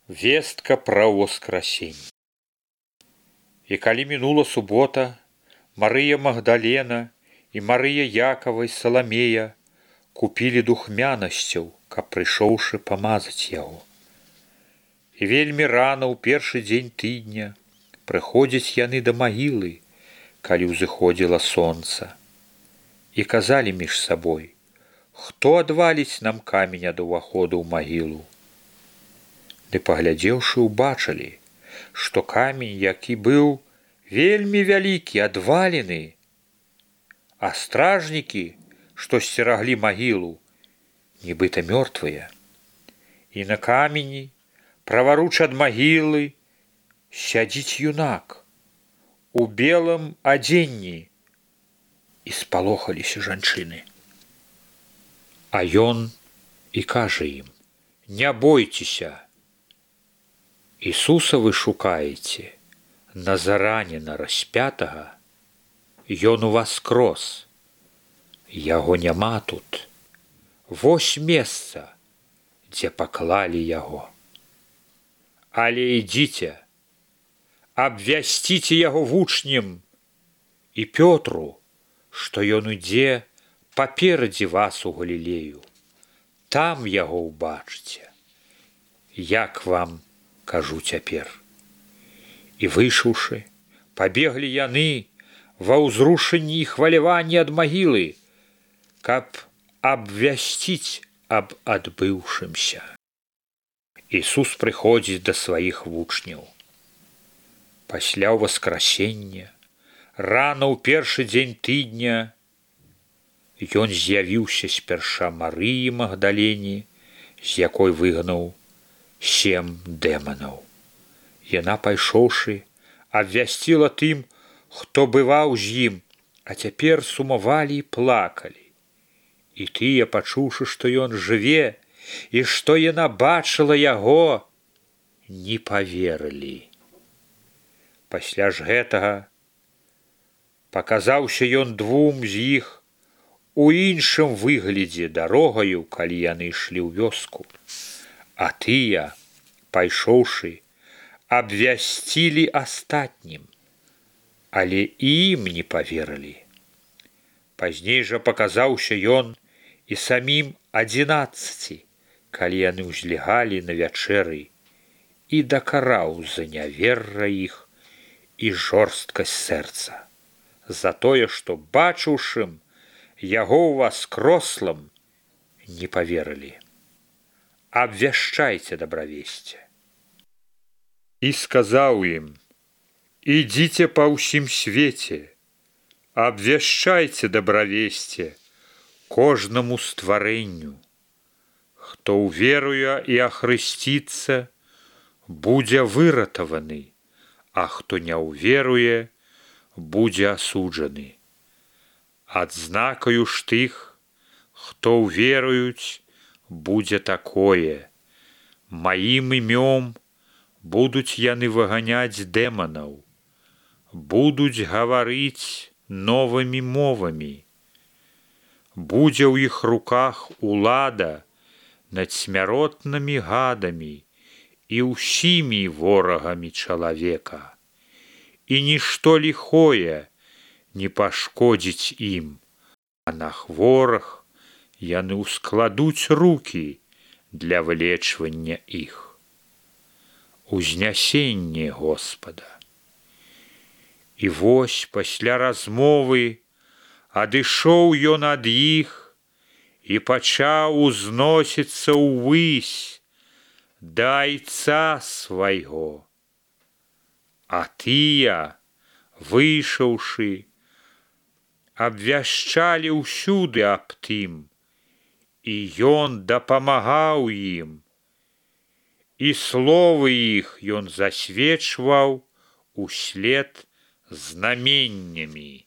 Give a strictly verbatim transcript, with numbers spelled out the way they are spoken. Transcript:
Вестка пра ўваскрасенне. І калі мінула субота, Марыя Магдалена і Марыя Якава і Саламея купілі духмянасцяў, каб прыйшоўшы памазаць яго. І вельмі рана ў першы дзень тыдня прыходзяць яны да магілы, калі ўзыходзіла сонца, і казалі між сабой: «Хто адваліць нам камень ад уваходу ў магілу?» Ды паглядзеўшы, убачылі, што камень, які быў вельмі вялікі, адвалены, а стражнікі, што сцераглі магілу, нібыта мёртвыя. І на камені, праваруч ад магілы, сядзіць юнак у белым адзенні. І спалохаліся жанчыны. А ён і кажа ім: «Не бойцеся, Ісуса вы шукаеце, Назараніна распятага, ён уваскрос, яго няма тут, вось месца, дзе паклалі яго. Але ідзіце, абвясціце яго вучням і Пётру, што ён ідзе паперадзе вас у Галілею, там яго ўбачыце, як вам кажу цяпер». І выйшаўшы, пабеглі яны ва ўзрушэнні і хваляванні ад магілы, каб абвясціць аб адбыўшымся. Ісус прыходзіць да сваіх вучняў. Пасля ўваскрасення, рана ў першы дзень тыдня, ён з'явіўся спярша Марыі Магдалене, з якой выгнаў сем дэманаў. Яна, пайшоўшы, абвясціла тым, хто бываў з ім, а цяпер сумавалі і плакалі. І тыя, пачуўшы, што ён жыве і што яна бачыла яго, не паверылі. Пасля ж гэтага паказаўся ён двум з іх у іншым выглядзе дарогаю, калі яны ішлі ў вёску. А тыя, пайшоўшы, абвясцілі астатнім, але і ім не паверылі. Пазней жа паказаўся ён і самім адзінаццаці, калі яны ўзлягалі на вячэры, і дакараў за няверра іх і жорсткасць сэрца, за тое, што, бачыўшым яго ўваскрослым, не паверылі. Абвяшчайце дабравесце. І сказаў ім: «Ідзіце па ўсім свеце, абвяшчайце дабравесце кожнаму стварэнню. Хто ўверуе і ахрысціцца, будзе выратаваны, а хто не ўверуе, будзе асуджаны. Адзнакаю ж тых, хто ўверуюць, будзе такое: маім імём будуць яны выганяць дэманаў, будуць гаварыць новымі мовамі, будзе ў іх руках улада над смяротнымі гадамі і ўсімі ворагамі чалавека, і нішто ліхое не пашкодзіць ім, а на хворых яны ўскладуць рукі для вылечвання іх. Узнясенне Господа». І вось пасля размовы адышоў ён ад іх і пачаў узносіцца ўвысь да Айца свайго. А тыя, выйшаўшы, абвяшчалі ўсюды аб тым, і ён дапамагаў ім, і словы іх ён засведчваў услед знаменнямі.